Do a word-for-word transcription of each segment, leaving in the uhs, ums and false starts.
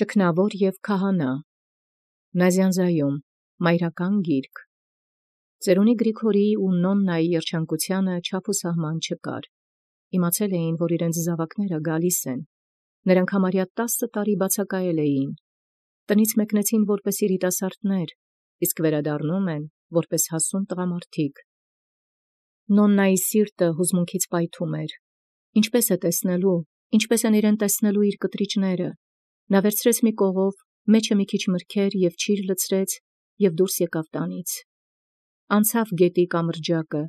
Ճգնավոր և քահանա, Նազյանզայում, մայրական գիրք։ Ծերունի Գրիգորիի ու Նոննայի երջանկութեանը չափ ու սահման չկար։ Իմացել էին, որ իրենց զաւակները գալիս են։ Նրանք համարյա տասը տարի բացակայել էին։ Տնից մեկնեցին որպես երիտասարդներ, իսկ վերադառնում են որպես հասուն տղամարդիկ։ Նոննայի սիրտը հուզմունքից պայթում էր։ Ինչպես է տեսնելու, ինչպես են իրեն տեսնելու իր կտրիճները։ Նա վերցրեց մի կողով, մեջը մի քիչ մրգեր և ճիր լցրեց և դուրս եկավ տանից։ Անցավ գետի կամրջակը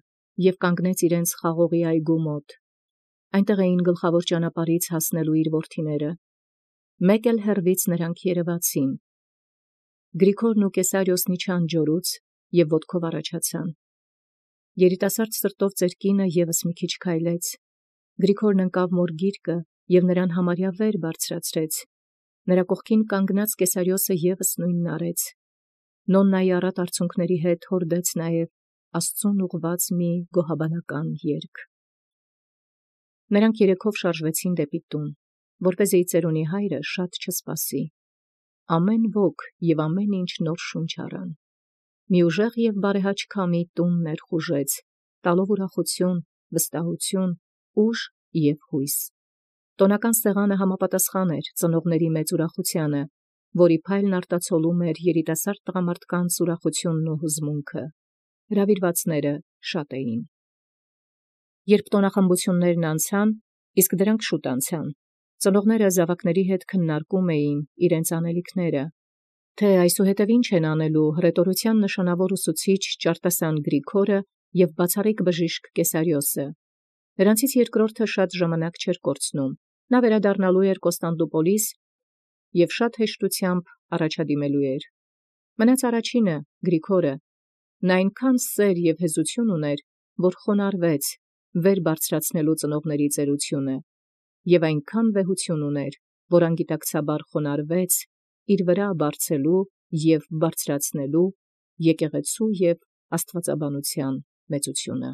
և կանգնեց իրենց խաղողի այգու մոտ։ Այնտեղ էին գլխավոր ճանապարհից հասնելու իր որդիները։ Մեկ էլ հեռվից նրանք երևացին։ Գրիգորն ու Կեսարիոսն իջան ջորուց և ոտքով առաջացան։ Երիտասարդ սրտով ծեր կինը ևս մի քիչ քայլեց։ Գրիգորն ընկավ մոր գիրկը և նրան համարյա վեր բարձրացրեց։ Նրա կողքին կանգնած Կեսարիոսը ևս նույնն արեց։ Նոննայի առատ արցունքների հետ հորդեց նաև Աստծուն ուղղված մի գոհաբանական երգ։ Նրանք երեքով շարժվեցին դեպի տուն, որպեսզի ծերունի հայրը շատ չսպասի։ Ամեն ոք և ամեն ինչ նոր շունչ առան։ Մի ուժեղ և բարեհաճ քամի տուն ներխուժեց, տալով ուրախություն, վստահություն, ուժ և հույս։ Տոնական սեղանը համապատասխան էր ծնողների մեծ ուրախությանը, որի փայլն արտացոլում էր երիտասարդ տղամարդկանց ուրախությունն ու հուզմունքը։ Հրավիրվածները շատ էին։ Երբ տոնախմբություններն անցան, իսկ դրանք շուտ անցան, ծնողները զավակների հետ քննարկում էին իրենց անելիքները, թե այսուհետև ինչ են անելու հռետորության նշանավոր ուսուցիչ Ճարտասան Գրիգորը և բացառիկ բժիշկ Կեսարիոսը։ Նրանցից երկրորդը շատ ժամանակ չէր կորցնում։ Նա վերադառնալու էր Կոստանդնուպոլիս և շատ հեշտությամբ առաջադիմելու էր։ Մնաց առաջինը, Գրիգորը։ Նա այնքան սեր և հեզություն ուներ, որ խոնարհվեց, վեր բարձրացնելու ծնողների ծերությունը, և այնքան վեհություն ուներ, որ անգիտակցաբար խոնարհվեց իր վրա բարձելու և բարձրացնելու եկեղեցու և աստվածաբանության մեծությունը։